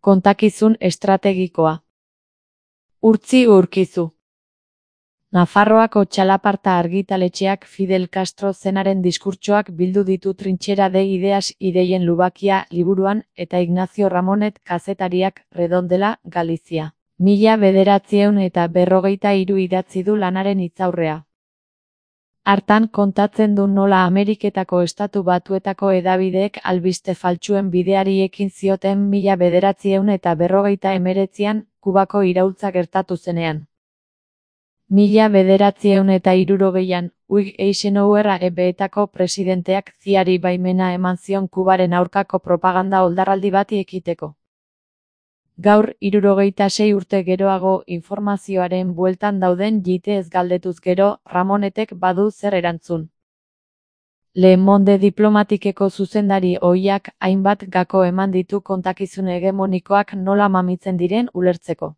Kontakizun estrategikoa. Urtzi Urkizu. Nafarroako txalaparta argitaletxeak Fidel Castro zenaren diskurtsoak bildu ditu Trintxera de ideas ideien lubakia liburuan eta Ignacio Ramonet kazetariak Redondela, Galizia. 1943 idatzi du lanaren hitzaurrea. Hartan kontatzen du nola Ameriketako Estatu Batuetako hedabideek albiste faltsuen bideari ekin zioten 1949an Kubako iraultza gertatu zenean. 1960an, Eisenhower EBEetako presidenteak CIA-ri baimena eman zion Kubaren aurkako propaganda oldarraldi bati ekiteko. Gaur, 76 urte geroago, informazioaren bueltan dauden jiteez galdetuz gero, Ramonetek badu zer erantzun. Le Monde diplomatikeko zuzendari ohiak hainbat gako eman ditu kontakizun hegemonikoak nola mamitzen diren ulertzeko.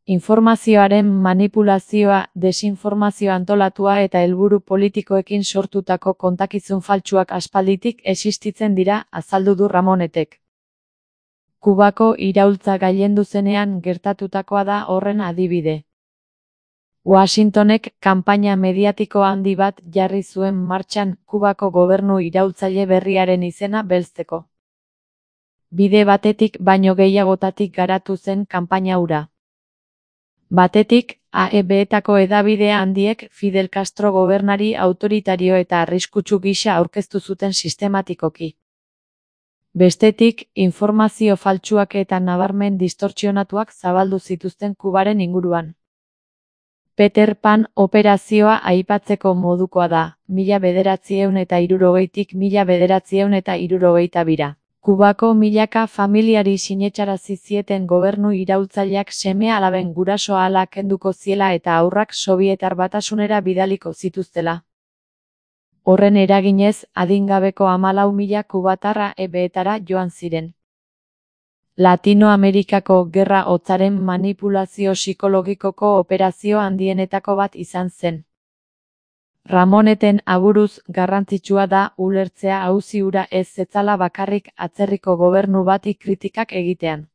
Informazioaren manipulazioa, desinformazio antolatua eta helburu politikoekin sortutako kontakizun faltsuak aspalditik existitzen dira, azaldu du Ramonetek. Kubako iraultza gailendu zenean gertatutakoa da horren adibide. Washingtonek kanpaina mediatiko handi bat jarri zuen martxan Kubako gobernu iraultzaile berriaren izena belzteko. Bide batetik baino gehiagotatik garatu zen kanpaina hura. Batetik, AEBetako hedabide handiek Fidel Castro gobernari autoritario eta arriskutsu gisa aurkeztu zuten sistematikoki. Bestetik, informazio faltsuak eta nabarmen distortsionatuak zabaldu zituzten Kubaren inguruan. Peter Pan operazioa aipatzeko modukoa da, 1960tik 1962. Kubako milaka familiari sinetxarazi zieten gobernu iraultzaileak seme-alaben guraso-ahala kenduko ziela eta haurrak Sobietar Batasunera bidaliko zituztela. Horren eraginez, adingabeko 14.000 kubatarra EBetara joan ziren. Latinoamerikako gerra hotzaren manipulazio psikologikoko operazio handienetako bat izan zen. Ramoneten aburuz garrantzitsua da ulertzea auzi hura ez zetzala bakarrik atzerriko gobernu bati kritikak egitean.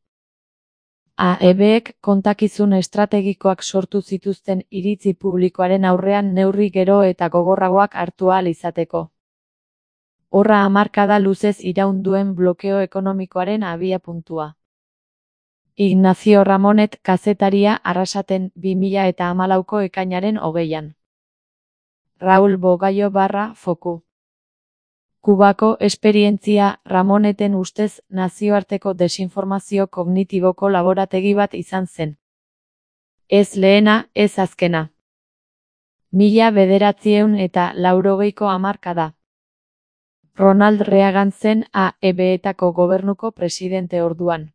AEBek kontakizun estrategikoak sortu zituzten iritzi publikoaren aurrean neurri gero eta gogorragoak hartu ahal izateko. Horra hamarkada luzez iraun duen blokeo ekonomikoaren abiapuntua. Ignacio Ramonet kazetaria Arrasaten 2014ko ekainaren 20an. Raúl Bogallo Foku. Kubako esperientzia Ramoneten ustez nazioarteko desinformazio kognitiboko laborategi bat izan zen. Ez lehena, ez azkena. 1980ko hamarkada. Ronald Reagan zen AEBetako gobernuko presidente orduan.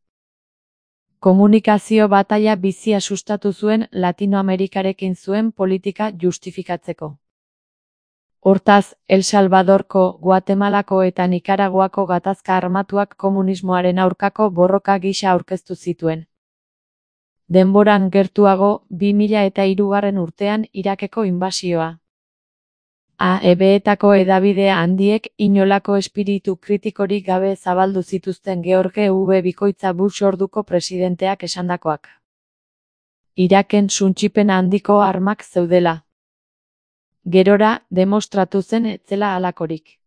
Komunikazio bataila bizia sustatu zuen Latinoamerikarekin zuen politika justifikatzeko. Hortaz, El Salvadorko, Guatemalako eta Nikaraguako gatazka armatuak komunismoaren aurkako borroka gisa aurkeztu zituen. Denboran gertuago, 2003 urtean Irakeko inbasioa. AEBetako hedabide handiek inolako espiritu kritikorik gabe zabaldu zituzten George W. Bikoitza Bush orduko presidenteak esandakoak. Iraken suntsipen handiko armak zeudela. Gerora, demostratu zen etzela halakorik.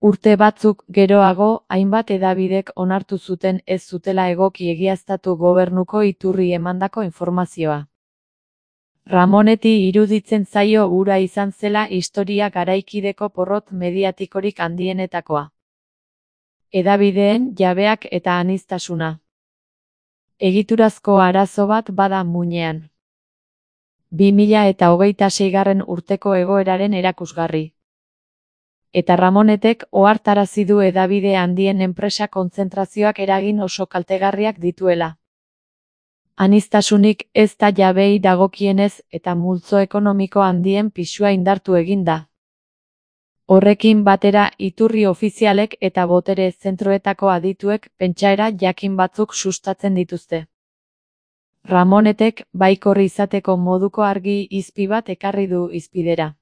Urte batzuk geroago, hainbat hedabidek onartu zuten ez zutela egoki egiaztatu gobernuko iturri emandako informazioa. Ramoneti iruditzen zaio hura izan zela historia garaikideko porrot mediatikorik handienetakoa. Hedabideen jabeak eta aniztasuna. Egiturazko arazo bat bada muinean. 2026 urteko egoeraren erakusgarri. Eta Ramonetek ohartarazi du hedabide handien enpresa kontzentrazioak eragin oso kaltegarriak dituela. Aniztasunik ez da jabeei dagokienez eta multzo ekonomiko handien pisua indartu egin da. Horrekin batera iturri ofizialek eta botere zentroetako adituek pentsaera jakin batzuk sustatzen dituzte. Ramonetek baikorri izateko moduko argi izpi bat ekarri du hizpidera.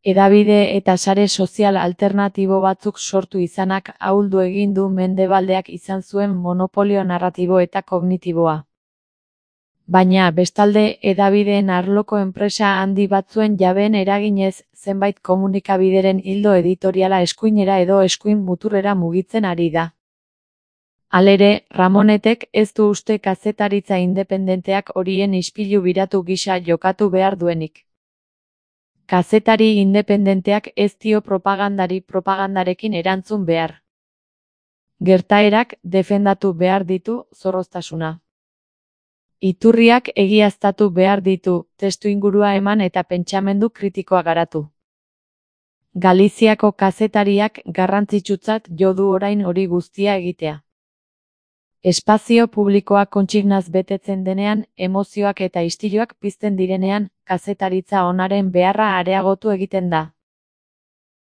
Hedabide eta sare sozial alternatibo batzuk sortu izanak ahuldu egin du Mendebaldeak izan zuen monopolio narratibo eta kognitiboa. Baina, bestalde, hedabideen arloko enpresa handi batzuen jabeen eraginez, zenbait komunikabideren ildo editoriala eskuinera edo eskuin muturrera mugitzen ari da. Halere, Ramonetek ez du uste kazetaritza independenteak horien ispilu biratu gisa jokatu behar duenik. Kazetari independenteak ez dio propagandarekin erantzun behar. Gertaerak defendatu behar ditu zorroztasuna. Iturriak egiaztatu behar ditu, testuingurua eman eta pentsamendu kritikoa garatu. Galiziako kazetariak garrantzitsutzat jo du orain hori guztia egitea. Espazio publikoa kontsignaz betetzen denean, emozioak eta istiluak pizten direnean, kazetaritza onaren beharra areagotu egiten da.